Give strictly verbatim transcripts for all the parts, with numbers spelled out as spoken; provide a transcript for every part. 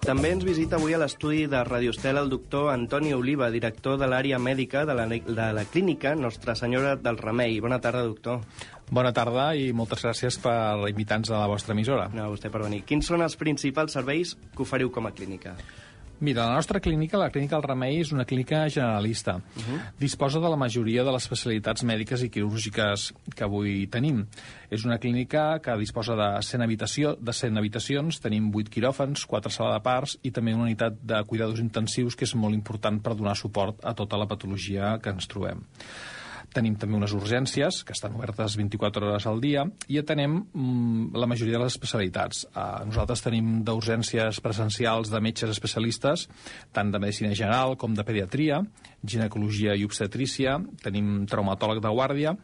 També ens visita avui a l'estudi de Radio Estel el doctor Antoni Oliva, director de l'àrea mèdica de la, de la clínica Nostra Senyora del Remei. Bona tarda, doctor. Bona tarda i moltes gràcies per invitar-nos a la vostra emissora. No, vostè per venir. Quins són els principals serveis que oferiu com a clínica? Mira, la nostra clínica, la Clínica del Remei, és una clínica generalista. Uh-huh. Disposa de la majoria de les especialitats mèdiques i quirúrgiques que avui tenim. És una clínica que disposa de cent, habitació, de cent habitacions, tenim vuit quiròfans, quatre sala de parts i també una unitat de cuidadors intensius que és molt important per donar suport a tota la patologia que ens trobem. Tenim també unes urgències, que estan obertes vint-i-quatre hores al dia, i atenem mm, la majoria de les especialitats. Uh, nosaltres tenim d'urgències presencials de metges especialistes, tant de medicina general com de pediatria, ginecologia i obstetrícia, tenim traumatòleg de guàrdia,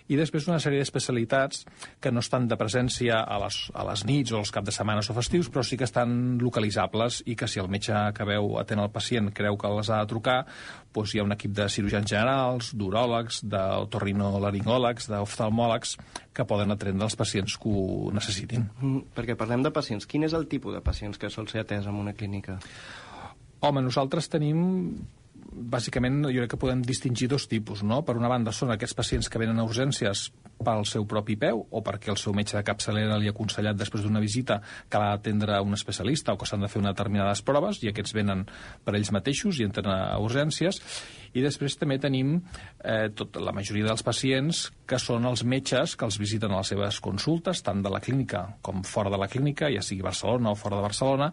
i després una sèrie d'especialitats que no estan de presència a les, a les nits o els caps de setmanes o festius, però sí que estan localitzables i que si el metge que veu atén el pacient creu que les ha de trucar, doncs hi ha un equip de cirurgians generals, d'uròlegs, d'otorrinolaringòlegs, d'oftalmòlegs, que poden atendre els pacients que ho necessitin. Mm, perquè parlem de pacients. Quin és el tipus de pacients que sol ser atès en una clínica? Home, nosaltres tenim... Bàsicament, jo crec que podem distingir dos tipus, no? Per una banda, són aquests pacients que venen a urgències pel seu propi peu o perquè el seu metge de capçalera li ha aconsellat després d'una visita que l'ha d'atendre un especialista o que s'han de fer unes determinades proves i aquests venen per ells mateixos i entren a urgències. I després també tenim eh, tot, la majoria dels pacients que són els metges que els visiten a les seves consultes, tant de la clínica com fora de la clínica, ja sigui Barcelona o fora de Barcelona,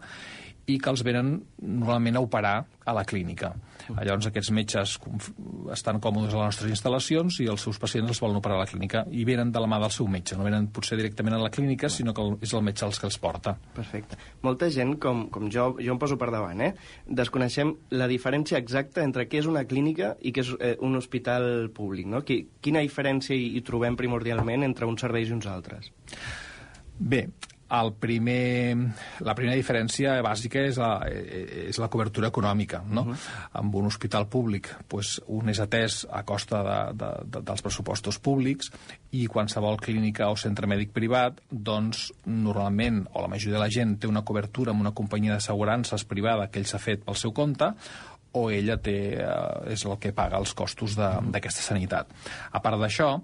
i que els venen normalment a operar a la clínica. Llavors aquests metges estan còmodes a les nostres instal·lacions i els seus pacients els volen operar a la clínica i venen de la mà del seu metge, no venen potser directament a la clínica, sinó que és el metge els que els porta. Perfecte. Molta gent, com, com jo, jo em poso per davant, eh? desconeixem la diferència exacta entre què és una clínica i què és eh, un hospital públic, no? Quina diferència hi, hi trobem primordialment entre uns serveis i uns altres? Bé, El primer, la primera diferència bàsica és la, és la cobertura econòmica, no? Uh-huh. Amb un hospital públic, pues, un és atès a costa de, de, de, dels pressupostos públics i qualsevol clínica o centre mèdic privat, doncs, normalment, o la majoria de la gent té una cobertura amb una companyia d'assegurances privada que ell s'ha fet pel seu compte, o ella té, eh, és el que paga els costos d'aquesta sanitat. A part d'això,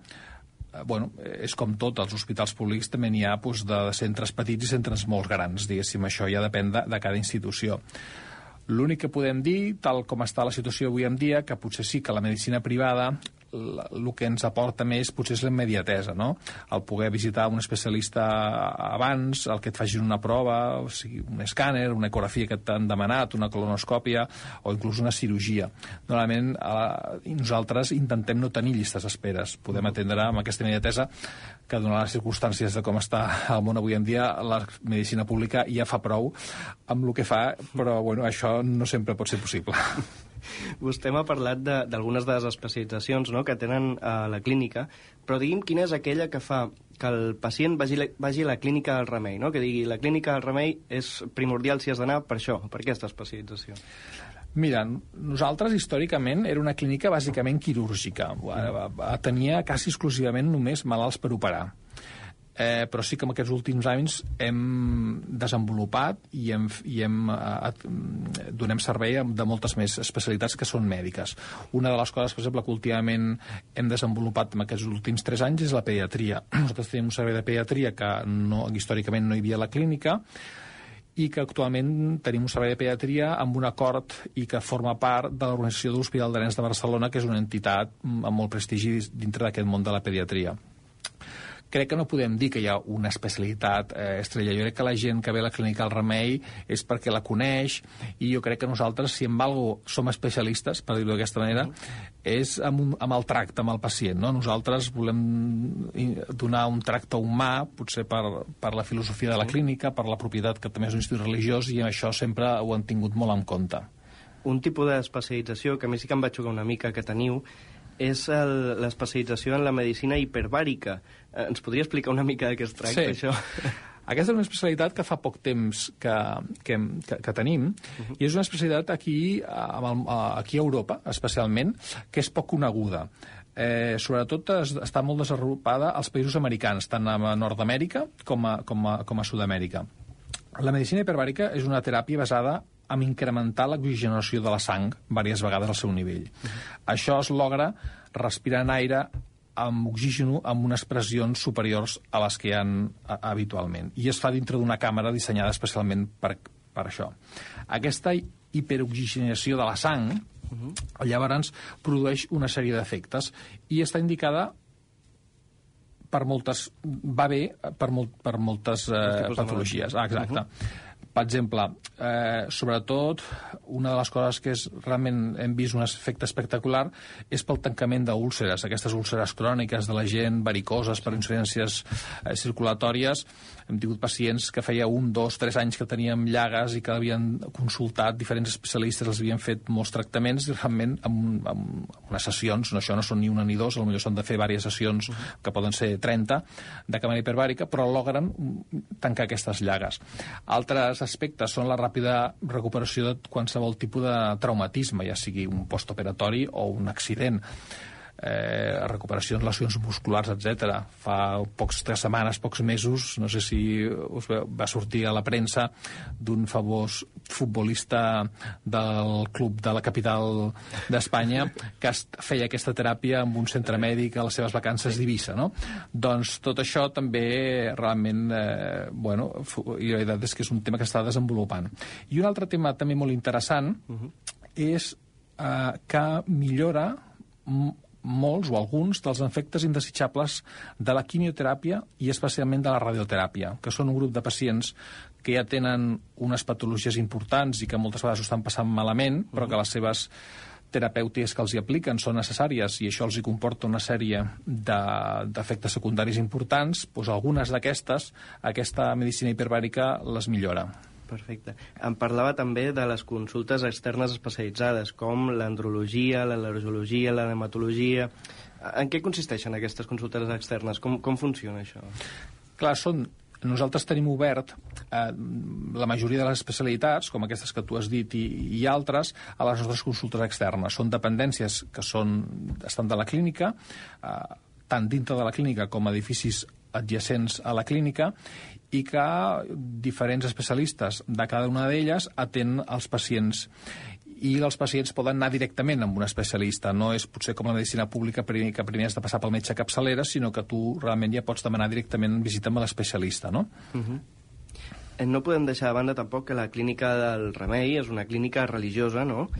bueno, és com tot, als hospitals públics també n'hi ha doncs, de centres petits i centres molt grans, diguéssim, això ja depèn de, de cada institució. L'únic que podem dir, tal com està la situació avui en dia, que potser sí que la medicina privada el que ens aporta més potser és la immediatesa, no? El poder visitar un especialista abans, el que et facin una prova, o sigui, un escàner, una ecografia que t'han demanat, una colonoscòpia o inclús una cirurgia. Normalment eh, nosaltres intentem no tenir llistes d'esperes, podem atendre amb aquesta immediatesa que donant les circumstàncies de com està el món avui en dia, la medicina pública ja fa prou amb el que fa, però bueno, això no sempre pot ser possible. Vostè m'ha parlat d'algunes de, de les especialitzacions, no?, que tenen a la clínica, però digui'm quina és aquella que fa que el pacient vagi, vagi a la clínica del Remei, no? Que digui, la clínica del Remei és primordial si has d'anar per això, per aquesta especialització. Mira, nosaltres històricament era una clínica bàsicament quirúrgica, tenia quasi exclusivament només malalts per operar. Eh, però sí que en aquests últims anys hem desenvolupat i, hem, i hem, eh, donem servei de moltes més especialitats que són mèdiques. Una de les coses, per exemple, que últimament hem desenvolupat en aquests últims tres anys és la pediatria. Nosaltres tenim un servei de pediatria que no, històricament no hi havia a la clínica i que actualment tenim un servei de pediatria amb un acord i que forma part de l'Organització de l'Hospital de Nens de Barcelona, que és una entitat amb molt prestigi dintre d'aquest món de la pediatria. Crec que no podem dir que hi ha una especialitat eh, estrella. Jo crec que la gent que ve a la clínica del Remei és perquè la coneix i jo crec que nosaltres, si en algo som especialistes, per dir-ho d'aquesta manera, és amb, un, amb el tracte amb el pacient, no? Nosaltres volem donar un tracte humà, potser per, per la filosofia de la clínica, per la propietat que també és un institut religiós, i això sempre ho han tingut molt en compte. Un tipus d'especialització que a mi sí que em va xocar una mica que teniu és l'especialització en la medicina hiperbàrica. Eh, ens podria explicar una mica de què es tracta, sí. això? Aquesta és una especialitat que fa poc temps que, que, que, que tenim, uh-huh. i és una especialitat aquí, amb el, aquí a Europa, especialment, que és poc coneguda. eh, sobretot es, està molt desenvolupada als països americans, tant a Nord-Amèrica com a, com a, com a Sud-amèrica. La medicina hiperbàrica és una teràpia basada en incrementar l'oxigenació de la sang diverses vegades al seu nivell. Uh-huh. Això es logra respirant aire amb oxigen amb unes pressions superiors a les que hi ha a, habitualment. I es fa dintre d'una càmera dissenyada especialment per, per això. Aquesta hiperoxigenació de la sang, uh-huh, llavors produeix una sèrie d'efectes i està indicada per moltes... va bé per, molt, per moltes eh, patologies. Ah, exacte. Uh-huh. Per exemple, eh, sobretot, una de les coses que és, realment hem vist un efecte espectacular és pel tancament d'úlceres, aquestes úlceres cròniques de la gent, varicoses per insuficiències eh, circulatòries. Hem tingut pacients que feia un, dos, tres anys que teníem llagues i que havien consultat diferents especialistes, els havien fet molts tractaments i realment amb, amb unes sessions, no, això no són ni una ni dos, potser s'han de fer diverses sessions, uh-huh, que poden ser trenta, de càmera hiperbàrica, però logren tancar aquestes llagues. Altres aspectes són la ràpida recuperació de qualsevol tipus de traumatisme, ja sigui un postoperatori o un accident. Eh, recuperacions, lesions musculars, etcètera. Fa pocs tres setmanes, pocs mesos, no sé si us va sortir a la premsa d'un famós futbolista del club de la capital d'Espanya que feia aquesta teràpia amb un centre mèdic a les seves vacances d'Eivissa, no? Doncs tot això també realment, eh, bueno, i la veritat és que és un tema que està desenvolupant. I un altre tema també molt interessant uh-huh, és eh, que millora molts o alguns dels efectes indesitjables de la quimioteràpia i especialment de la radioteràpia, que són un grup de pacients que ja tenen unes patologies importants i que moltes vegades ho estan passant malament, però que les seves terapèutiques que els hi apliquen són necessàries i això els hi comporta una sèrie d'efectes de, secundaris importants, doncs algunes d'aquestes, aquesta medicina hiperbàrica les millora. Perfecte. Em parlava també de les consultes externes especialitzades, com l'andrologia, l'al·lergologia, la dermatologia. En què consisteixen aquestes consultes externes? Com, com funciona això? Clar, són... Nosaltres tenim obert eh, la majoria de les especialitats, com aquestes que tu has dit, i, i altres, a les nostres consultes externes. Són dependències que són, estan de la clínica, eh, tant dintre de la clínica com edificis adjacents a la clínica, i que diferents especialistes de cada una d'elles atenen els pacients. I els pacients poden anar directament amb un especialista. No és potser com la medicina pública que primer has de passar pel metge capçalera, sinó que tu realment ja pots demanar directament visita amb l'especialista, no? Uh-huh. No podem deixar de banda tampoc que la clínica del Remei és una clínica religiosa, no?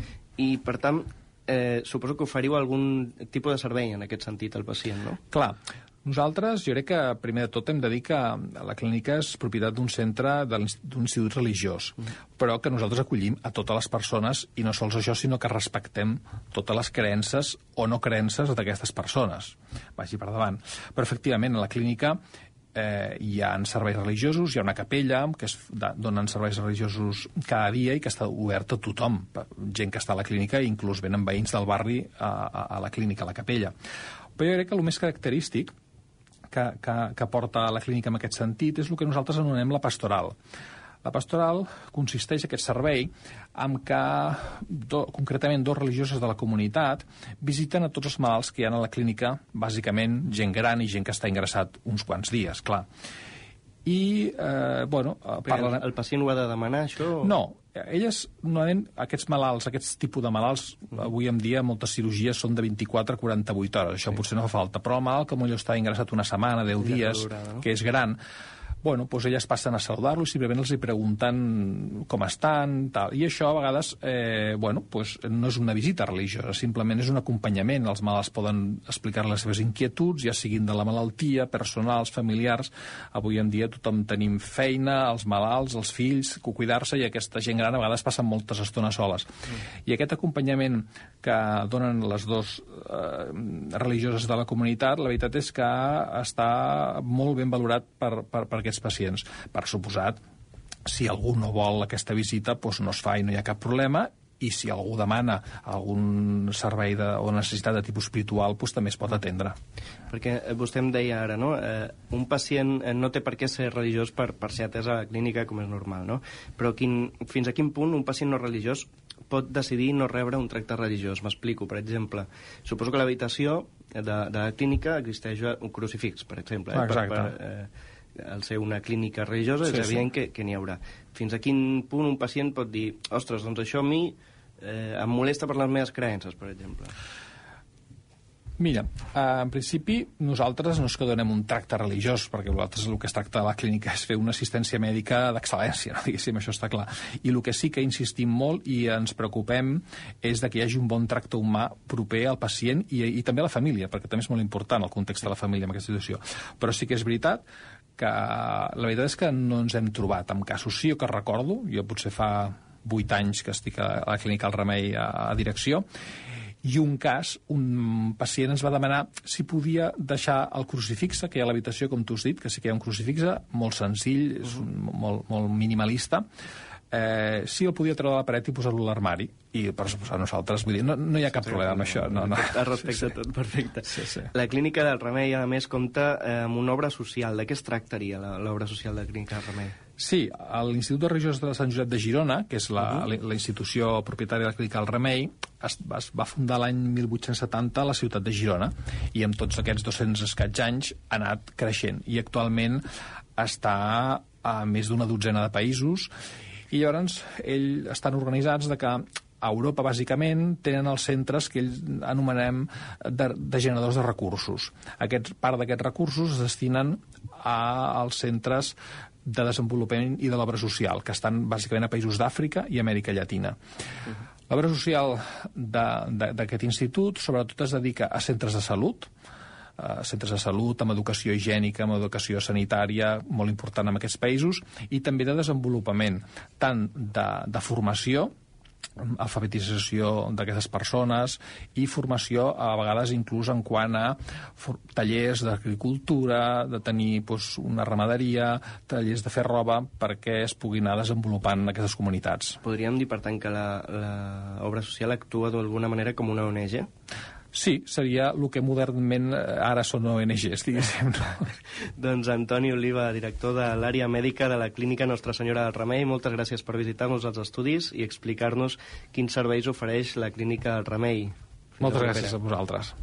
I, per tant, eh, suposo que oferiu algun tipus de servei en aquest sentit al pacient, no? Clar. Nosaltres, jo crec que, primer de tot, hem de dir que la clínica és propietat d'un centre, d'un institut religiós, mm. però que nosaltres acollim a totes les persones, i no sols això, sinó que respectem totes les creences o no creences d'aquestes persones. Vagi per davant. Però, efectivament, a la clínica eh, hi ha serveis religiosos, hi ha una capella que es donen serveis religiosos cada dia i que està oberta a tothom, gent que està a la clínica, i inclús venen veïns del barri a, a, a la clínica, a la capella. Però jo crec que el més característic Que, que, que porta a la clínica en aquest sentit és el que nosaltres anomenem la pastoral. La pastoral consisteix, aquest servei, en que do, concretament dos religioses de la comunitat visiten a tots els malalts que hi ha a la clínica, bàsicament gent gran i gent que està ingressat uns quants dies, clar. I, eh, bueno... Parlen... El, el pacient ho ha de demanar, això? No, elles, normalment, aquests malalts, aquests tipus de malalts, mm. avui en dia moltes cirurgies són de vint-i-quatre a quaranta-vuit hores, això sí. Potser no fa falta, però el malalt que potser està ingressat una setmana, deu ja dies, durada, no? Que és gran, bueno, doncs elles passen a saludar-lo i simplement els hi pregunten com estan, tal. I això a vegades, eh, bueno, doncs no és una visita religiosa, simplement és un acompanyament. Els malalts poden explicar les seves inquietuds, ja siguin de la malaltia, personals, familiars. Avui en dia tothom tenim feina, els malalts, els fills, cuidar-se, i aquesta gent gran a vegades passen moltes estones soles. Mm. I aquest acompanyament que donen les dues eh, religioses de la comunitat, la veritat és que està molt ben valorat per, per, per aquests pacients. Per suposat, si algú no vol aquesta visita, doncs no es fa i no hi ha cap problema, i si algú demana algun servei de, o necessitat de tipus espiritual, doncs també es pot atendre. Perquè vostè em deia ara, no? Eh, un pacient no té per què ser religiós per, per ser atès a la clínica, com és normal, no? Però quin, fins a quin punt un pacient no religiós pot decidir no rebre un tracte religiós? M'explico, per exemple. Suposo que l'habitació de, de la clínica existeix un crucifix, per exemple. Eh? Exacte. Per, per, eh, al ser una clínica religiosa sí, és evident sí. que, que n'hi haurà. Fins a quin punt un pacient pot dir ostres, doncs això a mi eh, em molesta per les meves creences, per exemple? Mira, eh, en principi nosaltres no és que donem un tracte religiós, perquè nosaltres el que es tracta a la clínica és fer una assistència mèdica d'excel·lència, no? Diguéssim, això està clar. I el que sí que insistim molt i ens preocupem és de que hi hagi un bon tracte humà proper al pacient i, i també a la família, perquè també és molt important el context de la família en aquesta situació. Però sí que és veritat que la veritat és que no ens hem trobat amb casos. Sí, jo que recordo, jo potser fa vuit anys que estic a la clínica El Remei a, a direcció, i un cas, un pacient ens va demanar si podia deixar el crucifix que hi ha a l'habitació, com tu has dit, que sí que hi ha un crucifix molt senzill, és un, molt, molt minimalista, eh, si el podia treure de la paret i posar-lo a l'armari. I per suposar nosaltres, vull dir, no, no hi ha cap sí, problema amb això. No, no. Respecte a tot, perfecte. Sí, sí. La Clínica del Remei, a més, compta eh, amb una obra social. De què es tractaria l'obra social de la Clínica del Remei? Sí, l'Institut de Religiós de Sant Josep de Girona, que és la, uh -huh. la institució propietària de la Clínica del Remei, es, es va fundar l'any mil vuit-cents setanta a la ciutat de Girona i amb tots aquests dos-cents escaig anys ha anat creixent i actualment està a més d'una dotzena de països i llavors ells estan organitzats de que a Europa, bàsicament, tenen els centres que ells anomenem de, de generadors de recursos. Aquest, part d'aquests recursos es destinen a, als centres de desenvolupament i de l'obra social, que estan bàsicament a països d'Àfrica i Amèrica Llatina. Uh-huh. L'obra social d'aquest institut sobretot es dedica a centres de salut, a centres de salut, amb educació higiènica, amb educació sanitària, molt important en aquests països, i també de desenvolupament, tant de, de formació, alfabetització d'aquestes persones i formació a vegades inclús en quant a tallers d'agricultura, de tenir doncs, una ramaderia, tallers de fer roba perquè es puguin anar desenvolupant en aquestes comunitats. Podríem dir, per tant, que l'obra social actua d'alguna manera com una O N G? Sí, seria el que modernment ara són O N Ges, diguéssim. No? Doncs Antoni Oliva, director de l'àrea mèdica de la Clínica Nostra Senyora del Remei, moltes gràcies per visitar-nos als estudis i explicar-nos quins serveis ofereix la Clínica del Remei. Moltes gràcies a vosaltres.